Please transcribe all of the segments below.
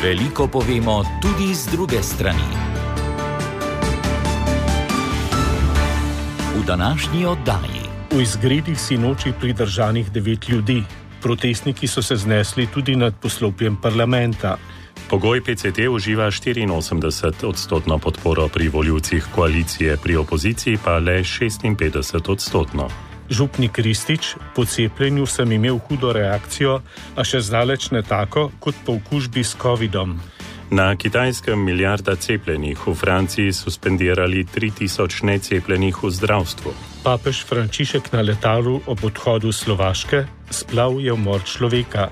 Veliko povemo tudi z druge strani. V današnji oddaji. V izgredih sinoči pridržanih 9 ljudi. Protestniki so se znesli tudi nad poslopjem parlamenta. Pogoj PCT uživa 84% podporo pri volivcih koalicije, pri opoziciji pa le 56%. Župnik Ristič: po cepljenju sem imel hudo reakcijo, a še zdaleč ne tako kot po okužbi s covidom. Na Kitajskem milijarda cepljenih, v Franciji suspendirali 3000 necepljenih v zdravstvu. Papež Frančišek na letalu ob odhodu Slovaške: splav je umor človeka.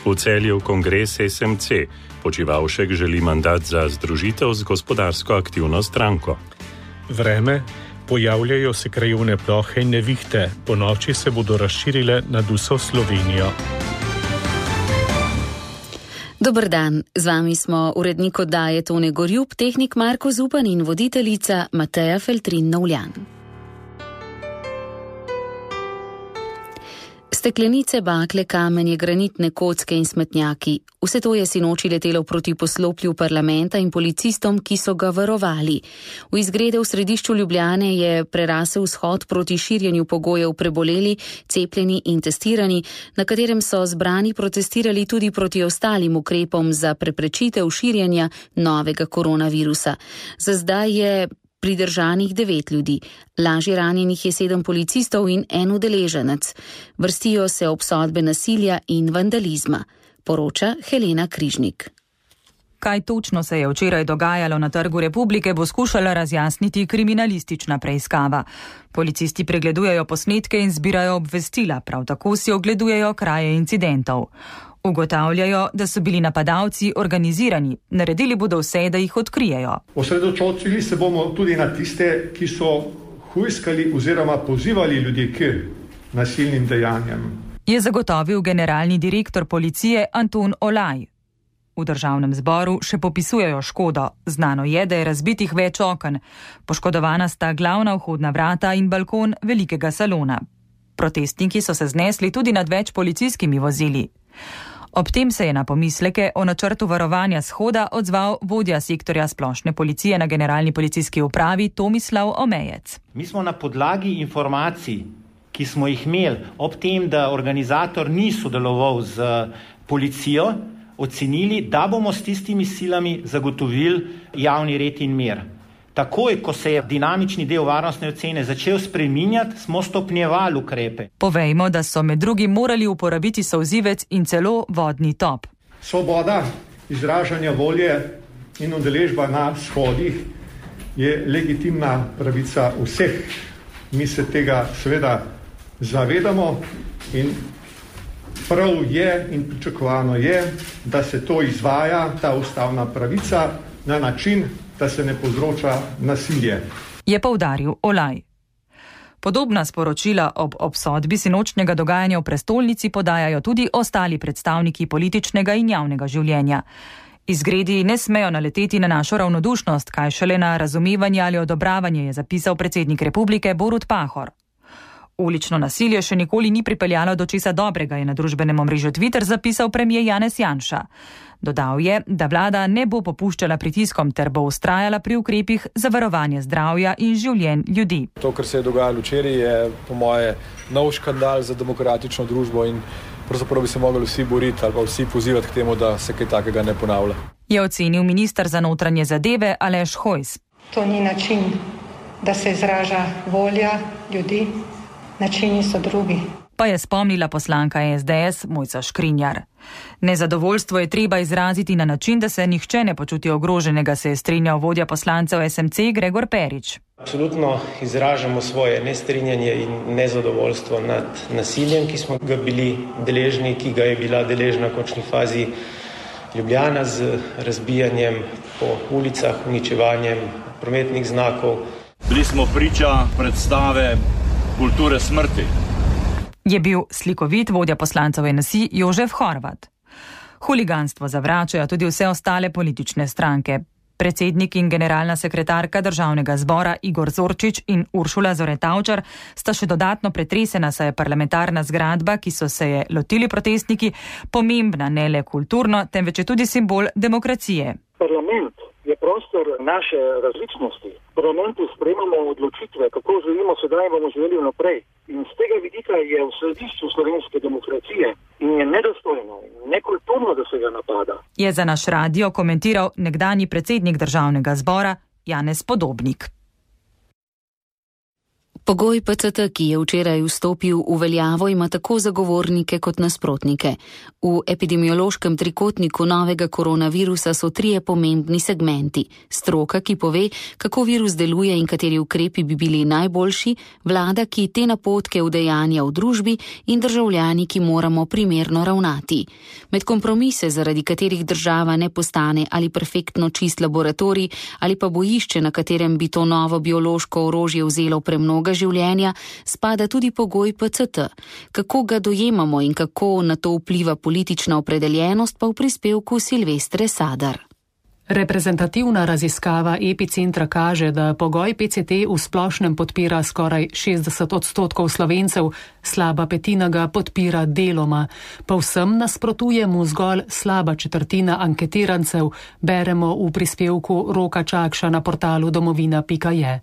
V Celju kongres SMC: Počivalšek želi mandat za združitev z gospodarsko aktivno stranko. Vreme: pojavljajo se krajevne plohe in nevihte, po noči se bodo razširile nad vso Slovenijo. Dober dan, z vami smo urednik oddaje Tone Gorjup, tehnik Marko Zupan in voditeljica Mateja Feltrin-Novljan. Steklenice, bakle, kamenje, granitne kocke in smetnjaki. Vse to je sinoči letelo proti poslopju parlamenta in policistom, ki so ga varovali. V izgrede v središču Ljubljane je prerasel shod proti širjenju pogojev preboleli, cepljeni in testirani, na katerem so zbrani protestirali tudi proti ostalim ukrepom za preprečitev širjenja novega koronavirusa. Za zdaj je pridržanih 9 ljudi. Lažje ranjenih je 7 policistov in 1 udeleženec. Vrstijo se obsodbe nasilja in vandalizma, poroča Helena Križnik. Kaj točno se je včeraj dogajalo na Trgu Republike, bo skušala razjasniti kriminalistična preiskava. Policisti pregledujejo posnetke in zbirajo obvestila, prav tako si ogledujejo kraje incidentov. Ugotavljajo, da so bili napadalci organizirani, naredili bodo vse, da jih odkrijejo. Osredotočili se bomo tudi na tiste, ki so hujskali oziroma pozivali ljudi k nasilnim dejanjem, je zagotovil generalni direktor policije Anton Olaj. V državnem zboru še popisujejo škodo. Znano je, da je razbitih več oken. Poškodovana sta glavna vhodna vrata in balkon velikega salona. Protestniki so se znesli tudi nad več policijskimi vozili. Ob tem se je na pomisleke o načrtu varovanja shoda odzval vodja sektorja splošne policije na generalni policijski upravi Tomislav Omejec. Mi smo na podlagi informacij, ki smo jih imeli ob tem, da organizator ni sodeloval z policijo, ocenili, da bomo s tistimi silami zagotovili javni red in mir. Takoj, ko se je dinamični del varnostne ocene začel spreminjati, smo stopnjevali ukrepe. Povejmo, da so med drugim morali uporabiti solzivec in celo vodni top. Svoboda izražanja volje in udeležba na shodih je legitimna pravica vseh. Mi se tega seveda zavedamo in prav je in pričakovano je, da se to izvaja, ta ustavna pravica, na način, da se ne povzroča nasilje, je poudaril Olaj. Podobna sporočila ob obsodbi sinočnjega dogajanja v prestolnici podajajo tudi ostali predstavniki političnega in javnega življenja. Izgredi ne smejo naleteti na našo ravnodušnost, kaj šele na razumevanje ali odobravanje, je zapisal predsednik republike Borut Pahor. Ulično nasilje še nikoli ni pripeljalo do česa dobrega, je na družbenem omrežju Twitter zapisal premier Janez Janša. Dodal je, da vlada ne bo popuščala pritiskom ter bo vztrajala pri ukrepih za varovanje zdravja in življenj ljudi. To, kar se je dogajalo včeraj, je po moje nov škandal za demokratično družbo in pravzaprav bi se mogli vsi boriti ali pa vsi pozivati k temu, da se kaj takega ne ponavlja. Je ocenil minister za notranje zadeve Aleš Hojs. To ni način, da se izraža volja ljudi. Načini so drugi. Pa je spomnila poslanka SDS Mojca Škrinjar. Nezadovoljstvo je treba izraziti na način, da se nihče ne počuti ogroženega, se je strinjal vodja poslancev SMC Gregor Perič. Absolutno izražamo svoje nestrinjanje in nezadovoljstvo nad nasiljem, ki smo ga bili deležni, ki ga je bila deležna v končni fazi Ljubljana z razbijanjem po ulicah, uničevanjem prometnih znakov. Bili smo priča predstave kulture smrti. Je bil slikovit vodja poslancev NSI Jožef Horvat. Huliganstvo zavračajo tudi vse ostale politične stranke. Predsednik in generalna sekretarka Državnega zbora Igor Zorčič in Uršula Zore-Tavčar sta še dodatno pretresena, saj je parlamentarna zgradba, ki so se je lotili protestniki, pomembna ne le kulturno, temveč je tudi simbol demokracije. Parlament je prostor naše različnosti. V parlamentu sprejemamo odločitve, kako želimo sedaj in bomo želeli naprej. In z tega vidika je v središču slovenske demokracije in je nedostojno in nekulturno, da se ga napada. Je za naš radio komentiral nekdanji predsednik Državnega zbora Janez Podobnik. Pogoj PCT, ki je včeraj vstopil v veljavo, ima tako zagovornike kot nasprotnike. V epidemiološkem trikotniku novega koronavirusa so 3 pomembni segmenti. Stroka, ki pove, kako virus deluje in kateri ukrepi bi bili najboljši, vlada, ki te napotke udejanja v družbi in državljani, ki moramo primerno ravnati. Med kompromise, zaradi katerih država ne postane ali perfektno čist laboratorij ali pa bojišče, na katerem bi to novo biološko orožje vzelo premnoga življenja, spada tudi pogoj PCT. Kako ga dojemamo in kako na to vpliva politična opredeljenost, pa v prispevku Silvestre Sadar. Reprezentativna raziskava Epicentra kaže, da pogoj PCT v splošnem podpira skoraj 60% Slovencev, slaba petina ga podpira deloma. Povsem nasprotuje mu zgolj slaba četrtina anketirancev, beremo v prispevku Roka Čakša na portalu domovina.je.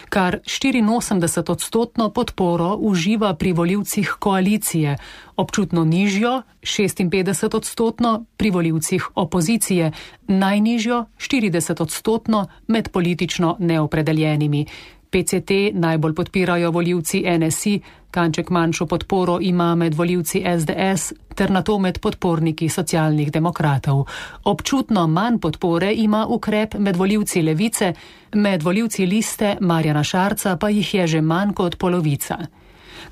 Kar 84% podporo uživa pri volivcih koalicije, občutno nižjo, 56% pri volivcih opozicije, najnižjo 40% med politično neopredeljenimi. PCT najbolj podpirajo volivci NSI, kanček manjšo podporo ima med volivci SDS ter nato med podporniki socialnih demokratov. Občutno manj podpore ima ukrep med volivci Levice, med volivci Liste Marjana Šarca pa jih je že manj kot polovica.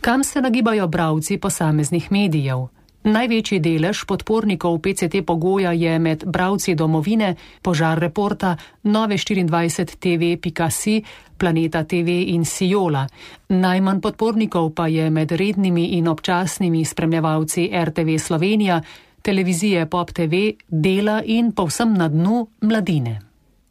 Kam se nagibajo bralci posameznih medijev? Največji delež podpornikov PCT pogoja je med bralci Domovine, Požar reporta, Nove24tv.si, Planeta TV in Siola. Najmanj podpornikov pa je med rednimi in občasnimi spremljevalci RTV Slovenija, televizije Pop TV, Dela in povsem na dnu Mladine.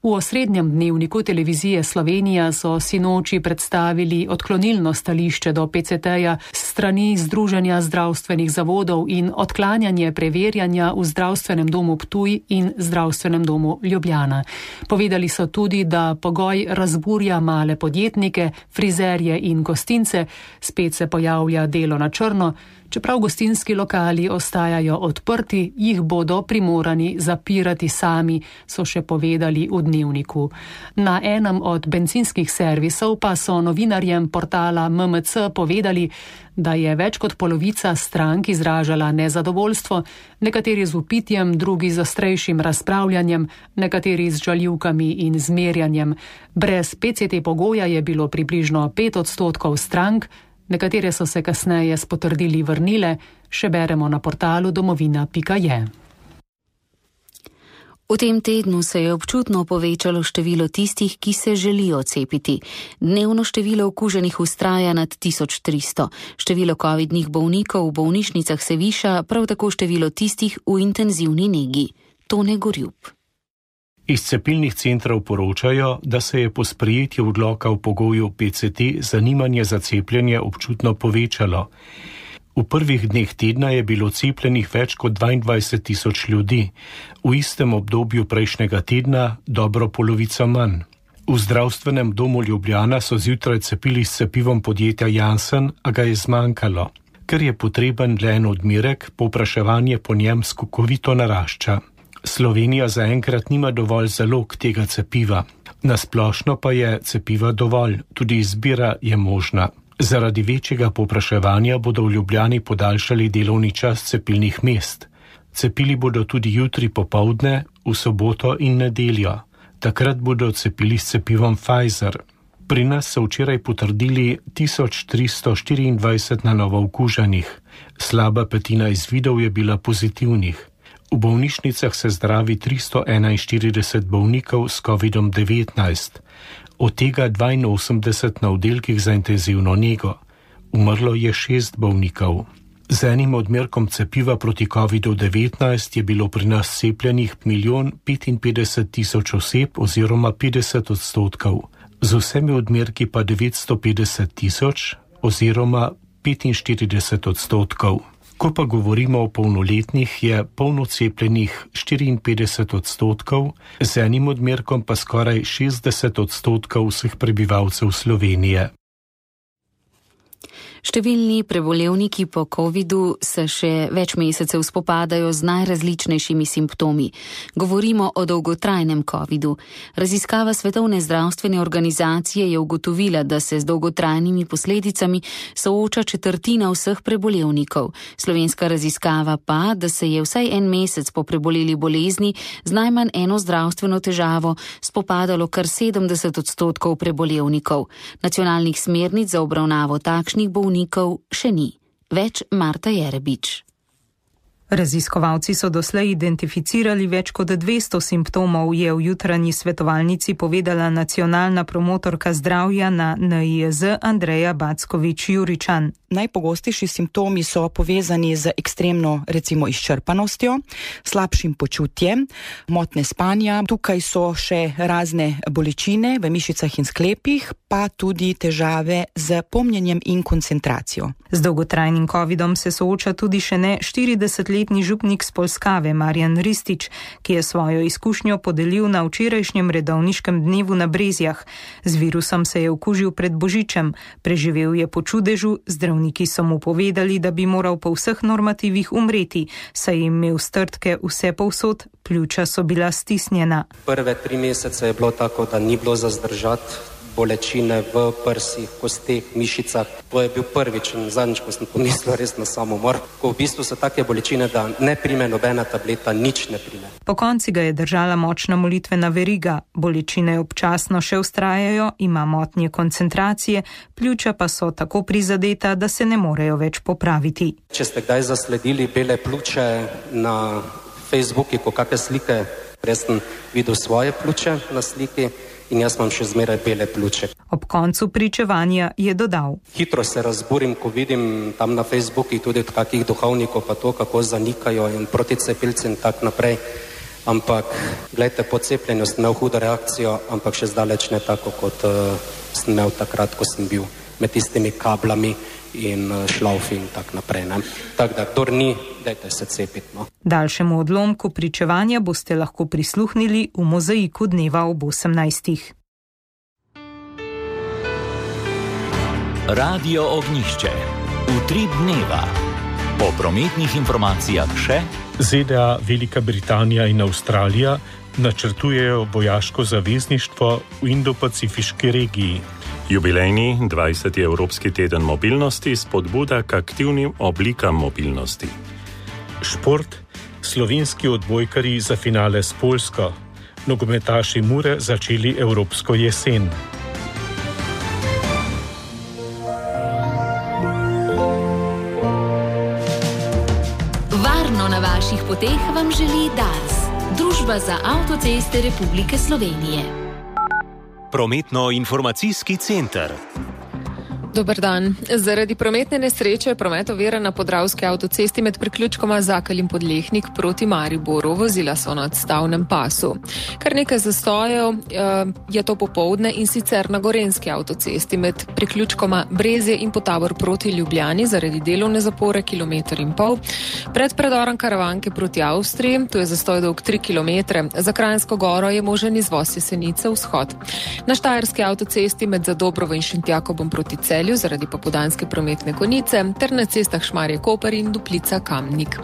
V osrednjem dnevniku televizije Slovenija so sinoči predstavili odklonilno stališče do PCT-ja strani Združenja zdravstvenih zavodov in odklanjanje preverjanja v Zdravstvenem domu Ptuj in Zdravstvenem domu Ljubljana. Povedali so tudi, da pogoj razburja male podjetnike, frizerje in gostince, spet se pojavlja delo na črno. Čeprav gostinski lokali ostajajo odprti, jih bodo primorani zapirati sami, so še povedali v dnevniku. Na enem od bencinskih servisov pa so novinarjem portala MMC povedali, da je več kot polovica strank izražala nezadovoljstvo, nekateri z vpitjem, drugi z ostrejšim razpravljanjem, nekateri z žaljivkami in zmerjanjem. Brez PCT pogoja je bilo približno 5% strank, nekatere so se kasneje s potrdili vrnile, še beremo na portalu domovina.je. V tem tednu se je občutno povečalo število tistih, ki se želijo cepiti. Dnevno število okuženih vztraja nad 1300. Število covidnih bolnikov v bolnišnicah se viša, prav tako število tistih v intenzivni negi. Tone Gorjup. Iz cepilnih centrov poročajo, da se je po sprejetju odloka v pogoju PCT zanimanje za cepljenje občutno povečalo. V prvih dneh tedna je bilo cepljenih več kot 22 000 ljudi, v istem obdobju prejšnjega tedna dobro polovico manj. V Zdravstvenem domu Ljubljana so zjutraj cepili s cepivom podjetja Janssen, a ga je zmanjkalo. Ker je potreben le en odmerek, povpraševanje po njem skokovito narašča. Slovenija zaenkrat nima dovolj zalog tega cepiva. Na splošno pa je cepiva dovolj, tudi izbira je možna. Zaradi večjega povpraševanja bodo v Ljubljani podaljšali delovni čas cepilnih mest. Cepili bodo tudi jutri popoldne, v soboto in nedeljo. Takrat bodo cepili s cepivom Pfizer. Pri nas so včeraj potrdili 1324 na novo okuženih. Slaba petina izvidov je bila pozitivnih. V bolnišnicah se zdravi 341 bolnikov s COVID-19, od tega 82 na oddelkih za intenzivno nego. Umrlo je 6 bolnikov. Z enim odmerkom cepiva proti COVID-19 je bilo pri nas cepljenih 1.055.000 oseb oziroma 50%, z vsemi odmerki pa 950.000 oziroma 45%. Ko pa govorimo o polnoletnih, je polno cepljenih 54%, z enim odmerkom pa skoraj 60% vseh prebivalcev Slovenije. Številni prebolevniki po covidu se še več mesecev spopadajo z najrazličnejšimi simptomi. Govorimo o dolgotrajnem covidu. Raziskava Svetovne zdravstvene organizacije je ugotovila, da se z dolgotrajnimi posledicami sooča četrtina vseh prebolevnikov. Slovenska raziskava pa, da se je vsaj en mesec po preboleli bolezni z najmanj eno zdravstveno težavo spopadalo kar 70% prebolevnikov. Nacionalnih smernic za obravnavo takšnih bolnikov še ni. Več Marta Jerebič. Raziskovalci so doslej identificirali več kot 200 simptomov, je v jutranji svetovalnici povedala nacionalna promotorka zdravja na NIJZ Andreja Backovič-Juričan. Najpogostejši simptomi so povezani z ekstremno, recimo, izčrpanostjo, slabšim počutjem, motnje spanja. Tukaj so še razne bolečine v mišicah in sklepih, pa tudi težave z pomnjenjem in koncentracijo. Z dolgotrajnim covidom se sooča tudi še ne 40-letni župnik z Polskave Marjan Ristič, ki je svojo izkušnjo podelil na včerajšnjem redovniškem dnevu na Brezjah. Z virusom se je okužil pred Božičem, preživel je po čudežu, zdravniki so mu povedali, da bi moral po vseh normativih umreti, saj je imel strtke vse povsod, pljuča so bila stisnjena. Prve 3 mesece je bilo tako, da ni bilo za zdržati bolečine v prsih, kosteh, mišicah. To je bil prvič in zadnjič, ko sem pomislil res na samomor. Ko v bistvu so take bolečine, da ne prime nobena tableta, nič ne prime. Po konci ga je držala močna molitvena veriga. Bolečine občasno še vztrajajo, ima motnje koncentracije, pljuča pa so tako prizadeta, da se ne morejo več popraviti. Če ste kdaj zasledili bele pljuče na Facebooku, ko kakšne slike, res sem videl svoje pljuče na sliki, in jaz imam še zmeraj bele pljuče. Ob koncu pričevanja je dodal: Hitro se razburim, ko vidim tam na Facebooku tudi od kakih duhovnikov pa to, kako zanikajo in proti cepilci in tak naprej. Ampak, gledajte, po cepljenju sem imel hudo reakcijo, ampak še zdaleč ne tako, kot sem imel takrat, ko sem bil med tistimi kablami in šlaufi in tak naprej. Tako da, kdor ni, dajte se cepiti. No. Daljšemu odlomku pričevanja boste lahko prisluhnili v mozaiku dneva ob 18. Radio Ognjišče. Utrip dneva. Po prometnih informacijah še ZDA, Velika Britanija in Avstralija načrtujejo vojaško zavezništvo v Indo-Pacifiški regiji. Jubilejni 20. Evropski teden mobilnosti spodbuda k aktivnim oblikam mobilnosti. Šport. Slovenski odbojkarji za finale s Poljsko. Nogometaši Mure začeli evropsko jesen. Varno na vaših poteh vam želi Dars, Družba za avtoceste Republike Slovenije. Prometno-informacijski center. Dober dan. Zaradi prometne nesreče je promet oviran na Podravski avtocesti med priključkoma Zakelj in Podlehnik proti Mariboru. Vozila so na odstavnem pasu. Kar nekaj zastojev je to popoldne in sicer na Gorenjski avtocesti med priključkoma Brezje in Potavor proti Ljubljani zaradi delovne zapore 1,5 km. Pred predorom Karavanke proti Avstriji, tu je zastoj dolg 3 km. Za Kranjsko goro je možen izvoz Jesenice vzhod. Na Štajerski avtocesti med Zadobrovo in Šentjakobom proti Celju zaradi popoldanske prometne konice ter na cestah Šmarje-Koper in Duplica-Kamnik.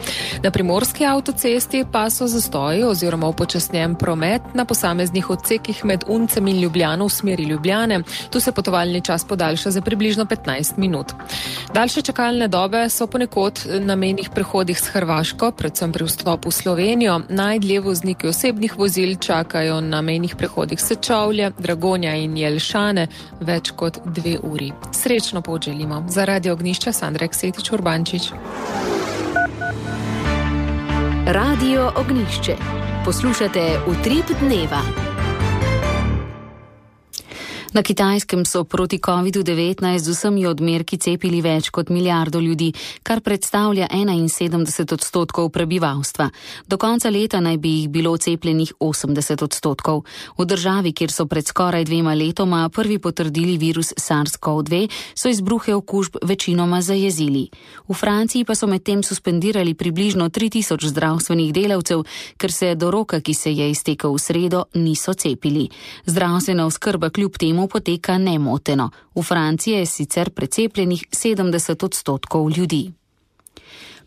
Na Primorski avtocesti pa so zastoji oziroma upočasnjen promet na posameznih odsekih med Uncem in Ljubljano v smeri Ljubljane. Tu se potovalni čas podaljša za približno 15 minut. Daljše čakalne dobe so ponekod na mejnih prehodih s Hrvaško, predvsem pri vstopu v Slovenijo. Najdlje vozniki osebnih vozil čakajo na mejnih prehodih Sečovlje, Dragonja in Jelšane več kot 2 uri. Srečno pot želimo. Za Radio Ognjišče Sandra Eksetič Urbančič. Radio Ognjišče. Poslušate Utrip dneva. Na Kitajskem so proti COVID-19 z vsemi odmerki cepili več kot milijardo ljudi, kar predstavlja 71% prebivalstva. Do konca leta naj bi jih bilo cepljenih 80%. V državi, kjer so pred skoraj 2 letoma prvi potrdili virus SARS-CoV-2, so izbruhe okužb večinoma zajezili. V Franciji pa so medtem suspendirali približno 3000 zdravstvenih delavcev, ker se do roka, ki se je iztekel v sredo, niso cepili. Zdravstvena oskrba kljub temu poteka nemoteno. V Franciji je sicer precepljenih 70% ljudi.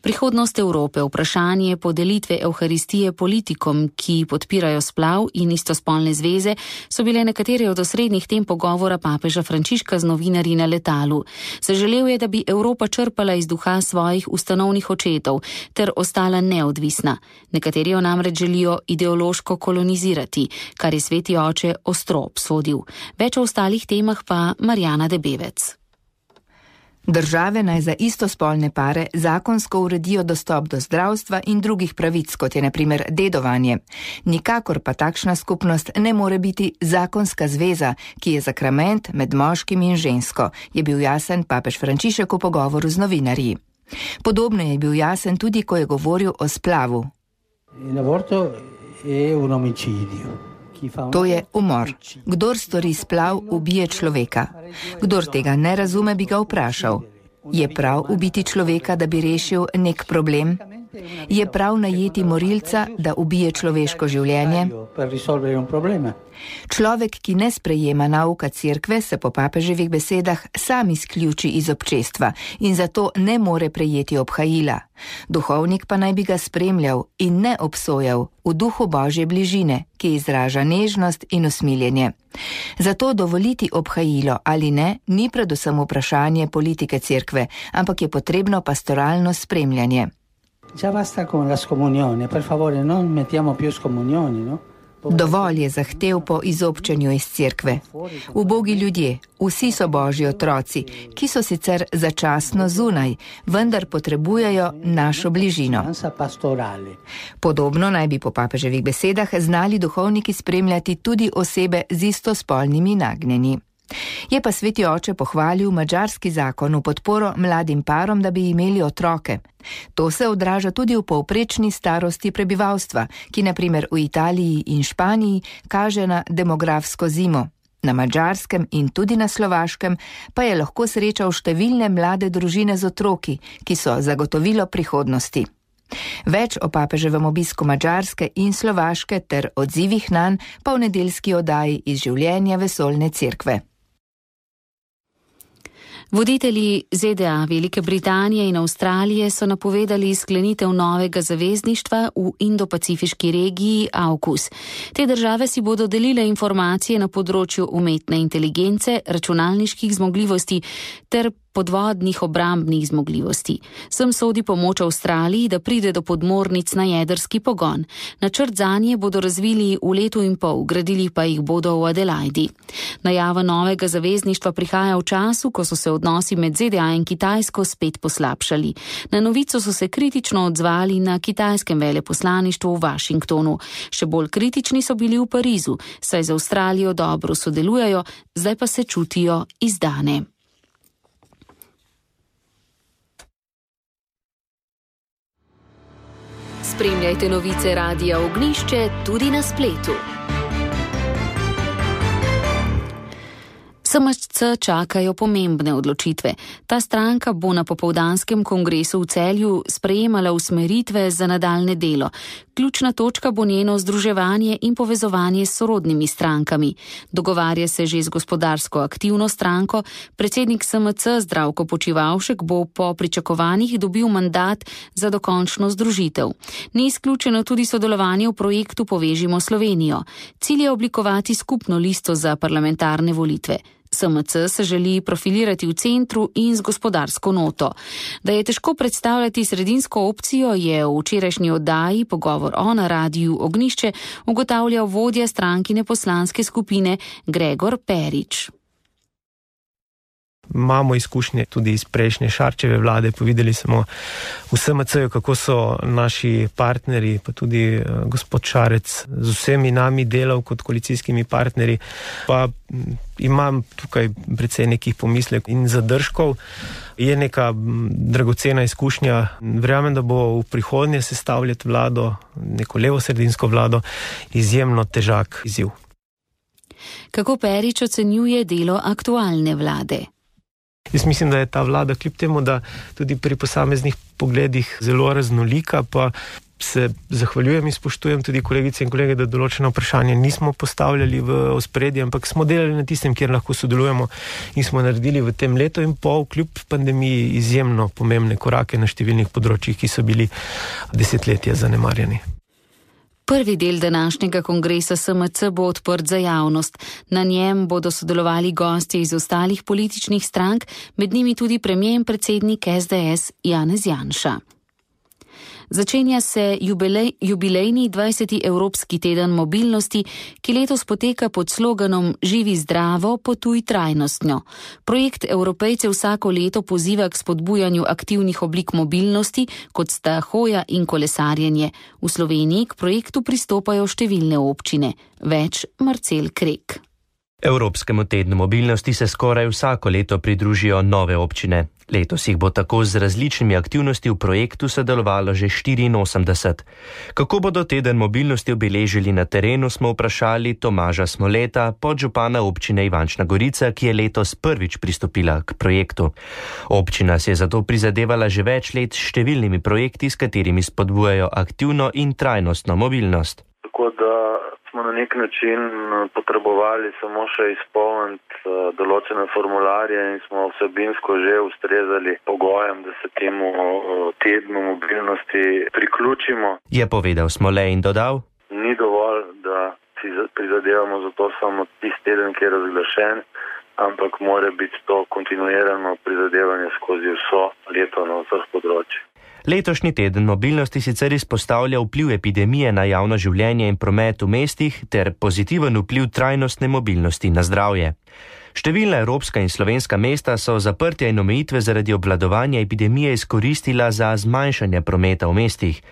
Prihodnost Evrope, vprašanje podelitve evharistije politikom, ki podpirajo splav in istospolne zveze, so bile nekatere od osrednjih tem pogovora papeža Frančiška z novinarji na letalu. Zaželel je, da bi Evropa črpala iz duha svojih ustanovnih očetov ter ostala neodvisna. Nekateri jo namreč želijo ideološko kolonizirati, kar je sveti oče ostro obsodil. Več o ostalih temah pa Marjana Debevec. Države naj za istospolne pare zakonsko uredijo dostop do zdravstva in drugih pravic, kot je na primer dedovanje. Nikakor pa takšna skupnost ne more biti zakonska zveza, ki je sakrament med moškim in žensko, je bil jasen papež Frančišek v pogovoru z novinarji. Podobno je bil jasen tudi, ko je govoril o splavu. To je umor. Kdor stori splav, ubije človeka. Kdor tega ne razume, bi ga vprašal. Je prav ubiti človeka, da bi rešil nek problem? Je prav najeti morilca, da ubije človeško življenje? Človek, ki ne sprejema nauka cerkve, se po papeževih besedah sam izključi iz občestva in zato ne more prejeti obhajila. Duhovnik pa naj bi ga spremljal in ne obsojal v duhu Božje bližine, ki izraža nežnost in usmiljenje. Zato dovoliti obhajilo ali ne, ni predvsem vprašanje politike cerkve, ampak je potrebno pastoralno spremljanje. Dovolj je zahtev po izobčenju iz cerkve. Ubogi ljudje, vsi so Božji otroci, ki so sicer začasno zunaj, vendar potrebujejo našo bližino. Podobno naj bi po papeževih besedah znali duhovniki spremljati tudi osebe z istospolnimi nagnjenji. Je pa sveti oče pohvalil madžarski zakon v podporo mladim parom, da bi imeli otroke. To se odraža tudi v povprečni starosti prebivalstva, ki na primer v Italiji in Španiji kaže na demografsko zimo. Na Madžarskem in tudi na Slovaškem pa je lahko srečal številne mlade družine z otroki, ki so zagotovilo prihodnosti. Več o papeževem obisku Madžarske in Slovaške ter odzivih nanj pa v nedeljski oddaji iz življenja vesoljne cerkve. Voditelji ZDA, Velike Britanije in Avstralije so napovedali sklenitev novega zavezništva v Indo-Pacifiški regiji AUKUS. Te države si bodo delile informacije na področju umetne inteligence, računalniških zmogljivosti ter podvodnih obrambnih zmogljivosti. Sem sodi pomoč Avstraliji, da pride do podmornic na jedrski pogon. Načrt zanje bodo razvili v letu in pol, gradili pa jih bodo v Adelaidi. Najava novega zavezništva prihaja v času, ko so se odnosi med ZDA in Kitajsko spet poslabšali. Na novico so se kritično odzvali na kitajskem veleposlaništvu v Washingtonu. Še bolj kritični so bili v Parizu, saj z Avstralijo dobro sodelujejo, zdaj pa se čutijo izdane. Spremljajte novice Radia Ognjišče tudi na spletu. SMC čakajo pomembne odločitve. Ta stranka bo na popoldanskem kongresu v Celju sprejemala usmeritve za nadaljne delo. Ključna točka bo njeno združevanje in povezovanje s sorodnimi strankami. Dogovarja se že z gospodarsko aktivno stranko. Predsednik SMC Zdravko Počivalšek bo po pričakovanjih dobil mandat za dokončno združitev. Ni izključeno tudi sodelovanje v projektu Povežimo Slovenijo. Cilj je oblikovati skupno listo za parlamentarne volitve. SMC se želi profilirati v centru in z gospodarsko noto. Da je težko predstavljati sredinsko opcijo, je v včerajšnji oddaji Pogovor o na Radiu Ognjišče ugotavljal vodja strankine poslanske skupine Gregor Perič. Imamo izkušnje tudi iz prejšnje Šarčeve vlade, povedali smo v SMC-ju, kako so naši partnerji, pa tudi gospod Šarec z vsemi nami delal kot koalicijskimi partnerji, pa imam tukaj precej nekih pomislek in zadržkov. Je neka dragocena izkušnja. Verjamem, da bo v prihodnje sestavljati vlado, neko levosredinsko vlado, izjemno težak izziv. Kako Perič ocenjuje delo aktualne vlade? Jaz mislim, da je ta vlada, kljub temu, da tudi pri posameznih pogledih zelo raznolika, pa se zahvaljujem in spoštujem tudi kolegice in kolege, da določeno vprašanje nismo postavljali v ospredje, ampak smo delali na tistem, kjer lahko sodelujemo in smo naredili v tem letu in pol, kljub pandemiji, izjemno pomembne korake na številnih področjih, ki so bili desetletja zanemarjeni. Prvi del današnjega kongresa SMC bo odprt za javnost. Na njem bodo sodelovali gostje iz ostalih političnih strank, med njimi tudi premier in predsednik SDS Janez Janša. Začenja se jubilejni 20. Evropski teden mobilnosti, ki letos poteka pod sloganom Živi zdravo, potuj trajnostno. Projekt Evropejce vsako leto poziva k spodbujanju aktivnih oblik mobilnosti, kot sta hoja in kolesarjenje. V Sloveniji k projektu pristopajo številne občine. Več Marcel Krek. Evropskemu tednu mobilnosti se skoraj vsako leto pridružijo nove občine. Letos jih bo tako z različnimi aktivnosti v projektu sodelovalo že 84. Kako bodo teden mobilnosti obeležili na terenu, smo vprašali Tomaža Smoleta, podžupana občine Ivančna Gorica, ki je letos prvič pristopila k projektu. Občina se je zato prizadevala že več let s številnimi projekti, s katerimi spodbujajo aktivno in trajnostno mobilnost. Tako da smo na nek način potrebovali samo še izpolniti določene formularje in smo vsebinsko že ustrezali pogojem, da se temu tednu mobilnosti priključimo. Je povedal Smole in dodal: Ni dovolj, da si prizadevamo za to samo tisti teden, ki je razglašen, ampak mora biti to kontinuirano prizadevanje skozi vso leto na vseh področjih. Letošnji teden mobilnosti sicer izpostavlja vpliv epidemije na javno življenje in promet v mestih ter pozitiven vpliv trajnostne mobilnosti na zdravje. Številna evropska in slovenska mesta so zaprtja in omejitve zaradi obvladovanja epidemije izkoristila za zmanjšanje prometa v mestih.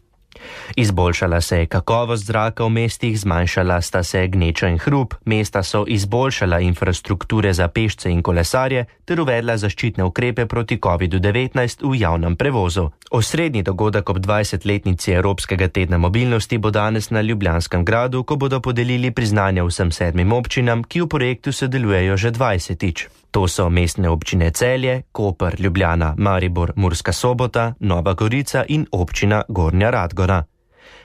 Izboljšala se je kakovost zraka v mestih, zmanjšala sta se gneča in hrup, mesta so izboljšala infrastrukture za pešce in kolesarje ter uvedla zaščitne ukrepe proti COVID-19 v javnem prevozu. Osrednji dogodek ob 20-letnici Evropskega tedna mobilnosti bo danes na Ljubljanskem gradu, ko bodo podelili priznanja vsem 7 občinam, ki v projektu sodelujejo že 20-tič. To so mestne občine Celje, Koper, Ljubljana, Maribor, Murska Sobota, Nova Gorica in občina Gornja Radgona.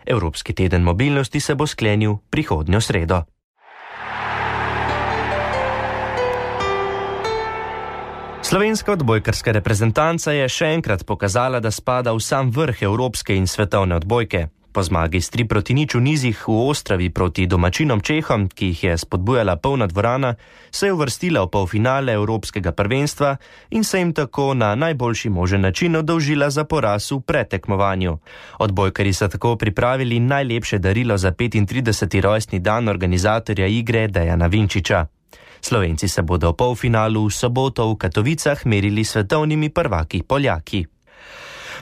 Evropski teden mobilnosti se bo sklenil prihodnjo sredo. Slovenska odbojkarska reprezentanca je še enkrat pokazala, da spada v sam vrh evropske in svetovne odbojke. Po zmagi s 3-0 v nizih v Ostravi proti domačinom Čehom, ki jih je spodbujala polna dvorana, se je uvrstila v polfinale Evropskega prvenstva in se jim tako na najboljši možen način oddolžila za poraz v pretekmovanju. Odbojkarji so tako pripravili najlepše darilo za 35. rojstni dan organizatorja igre Dejana Vinčiča. Slovenci se bodo v polfinalu v soboto v Katovicah merili svetovnimi prvaki Poljaki.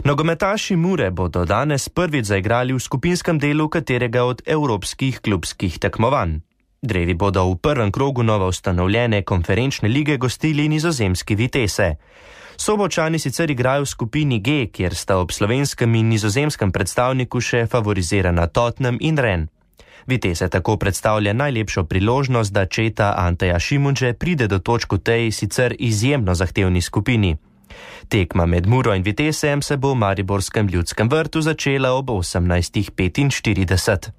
Nogometaši Mure bodo danes prvič zaigrali v skupinskem delu katerega od evropskih klubskih tekmovanj. Drevi bodo v prvem krogu novo ustanovljene konferenčne lige gostili nizozemski Vitesse. Sobočani sicer igrajo v skupini G, kjer sta ob slovenskem in nizozemskem predstavniku še favorizirana Tottenham in Rennes. Vitesse tako predstavlja najlepšo priložnost, da četa Anteja Šimunže pride do točk v tej sicer izjemno zahtevni skupini. Tekma med Muro in Vitessejem se bo v mariborskem Ljudskem vrtu začela ob 18:45.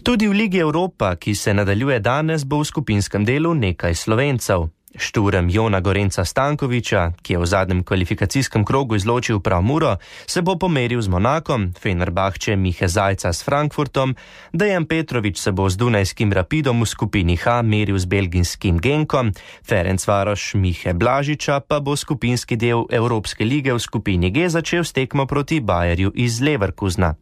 Tudi v Ligi Evropa, ki se nadaljuje danes, bo v skupinskem delu nekaj Slovencev. Šturm Jona Gorenca Stankoviča, ki je v zadnjem kvalifikacijskem krogu izločil prav Muro, se bo pomeril z Monakom, Fenerbahče Mihe Zajca s Frankfurtom, Dejan Petrovič se bo z Dunajskim Rapidom v skupini H meril z belgijskim Genkom, Ferencvaroš Mihe Blažiča pa bo skupinski del Evropske lige v skupini G začel s tekmo proti Bayerju iz Leverkusna.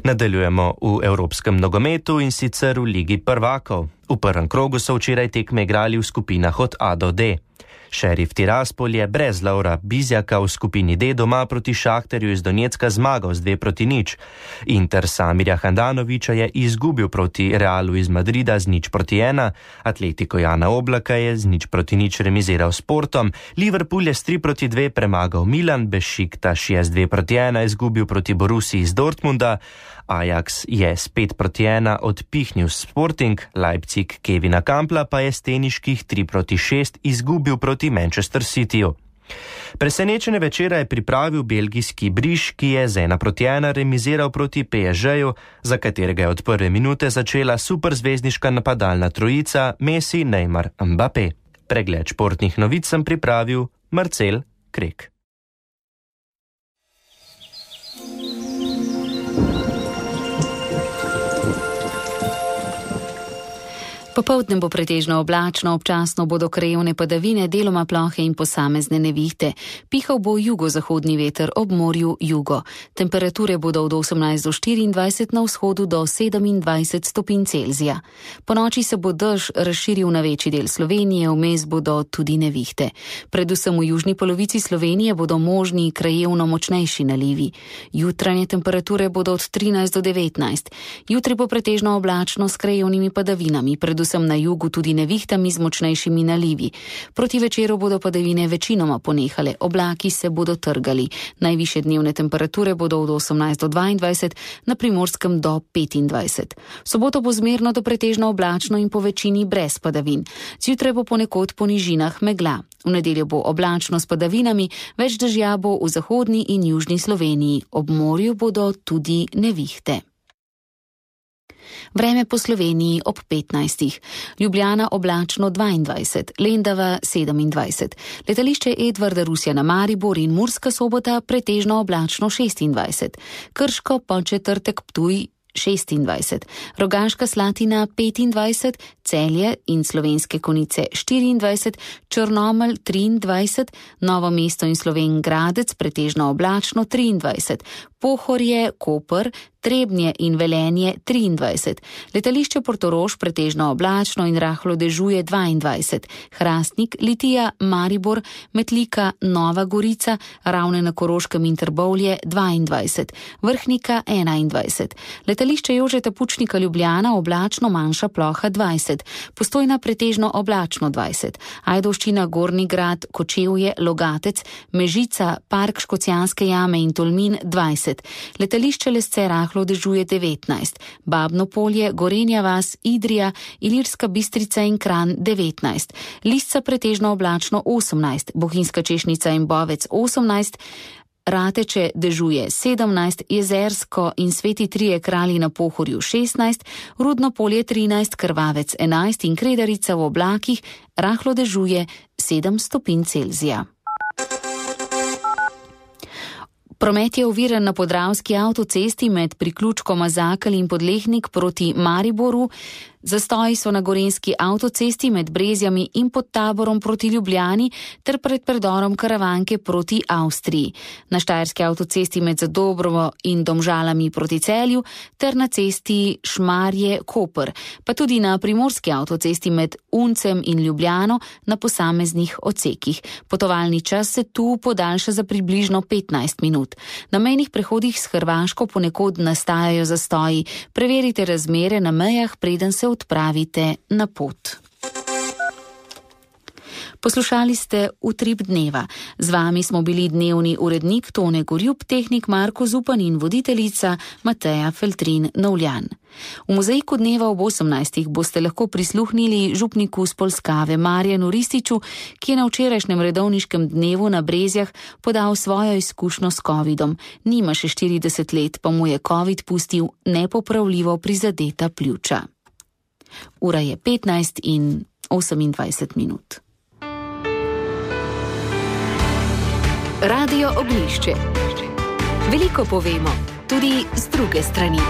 Nadaljujemo v evropskem nogometu in sicer v Ligi prvakov. V prvem krogu so včeraj tekme igrali v skupinah od A do D. Šerif Tiraspol je brez Lovra Bizjaka v skupini D doma proti Šahterju iz Donecka zmagal z 2-0. Inter Samirja Handanovića je izgubil proti Realu iz Madrida z 0-1, Atletico Jana Oblaka je z 0-0 remiziral s Portom, Liverpool je s 3-2 premagal Milan, Bešiktaš je z 2-1 izgubil proti Borussiji iz Dortmunda, Ajax je s 5-1 odpihnil Sporting, Leipzig Kevina Kampla pa je s teniških 3-6 izgubil proti Manchester Cityju. Presenečenje večera je pripravil belgijski Briš, ki je z 1-1 remiziral proti PSG-ju, za katerega je od prve minute začela superzvezdniška napadalna trojica Messi, Neymar, Mbappé. Pregled športnih novic sem pripravil Marcel Krek. Popoldne bo pretežno oblačno, občasno bodo krajevne padavine, deloma plohe in posamezne nevihte. Pihal bo jugozahodni veter, ob morju jugo. Temperature bodo od 18 do 24, na vzhodu do 27 stopinj Celzija. Po noči se bo dež razširil na večji del Slovenije, vmes bodo tudi nevihte. Predvsem v južni polovici Slovenije bodo možni krajevno močnejši nalivi. Jutranje temperature bodo od 13 do 19. Jutri bo pretežno oblačno s krajevnimi padavinami, predvsem na jugu tudi nevihtami z močnejšimi nalivi. Proti večeru bodo padavine večinoma ponehale, oblaki se bodo trgali. Najvišje dnevne temperature bodo od 18 do 22, na Primorskem do 25. V soboto bo zmerno do pretežno oblačno in po večini brez padavin. Zjutraj bo ponekod po nižinah megla. V nedeljo bo oblačno s padavinami, več dežja bo v zahodni in južni Sloveniji. Ob morju bodo tudi nevihte. Vreme po Sloveniji ob 15. Ljubljana oblačno 22, Lendava 27, letališče Edvarda Rusjana Maribor in Murska Sobota pretežno oblačno 26, Krško Podčetrtek Ptuj 26, Rogaška Slatina 25, Celje in Slovenske Konjice 24, Črnomelj 23, Novo mesto in Slovenj Gradec pretežno oblačno 23, Pohorje, Koper, Trebnje in Velenje 23, letališče Portorož pretežno oblačno in rahlo dežuje 22, Hrastnik, Litija, Maribor, Metlika, Nova Gorica, Ravne na Koroškem in Trbovlje 22, Vrhnika 21, letališče Jožeta Pučnika Ljubljana oblačno manjša ploha 20, Postojna pretežno oblačno 20, Ajdovščina, Gornji Grad, Kočevje, Logatec, Mežica, Park Škocjanske jame in Tolmin 20, letališče Lesce rahlo dežuje 19, Babno Polje, Gorenja vas, Idrija, Ilirska Bistrica in Kranj 19, Lisca pretežno oblačno 18, Bohinjska Češnica in Bovec 18, Rateče dežuje 17, Jezersko in Sveti Trije Kralji na Pohorju 16, Rudno Polje 13, Krvavec 11 in Kredarica v oblakih rahlo dežuje 7 stopinj Celzija. Promet je oviran na Podravski avtocesti med priključkoma Zakelj in Podlehnik proti Mariboru. Zastoji so na Gorenjski avtocesti med Brezjami in pod Taborom proti Ljubljani ter pred predorom Karavanke proti Avstriji. Na Štajerski avtocesti med Zadobrovo in Domžalami proti Celju ter na cesti Šmarje-Koper, pa tudi na Primorski avtocesti med Uncem in Ljubljano na posameznih odsekih. Potovalni čas se tu podaljša za približno 15 minut. Na mejnih prehodih s Hrvaško ponekod nastajajo zastoji. Preverite razmere na mejah, preden se odpravite na pot. Poslušali ste Utrip dneva. Z vami smo bili dnevni urednik Tone Gorjup, tehnik Marko Zupan in voditeljica Mateja Feltrin-Novljan. V mozaiku dneva ob 18. boste lahko prisluhnili župniku z Polskave Marjanu Rističu, ki je na včerajšnjem redovniškem dnevu na Brezjah podal svojo izkušnjo s covidom. Nima še 40 let, pa mu je covid pustil nepopravljivo prizadeta pljuča. Ura je 15 in 28 minut. Radio Oglišče. Veliko povemo, tudi z druge strani.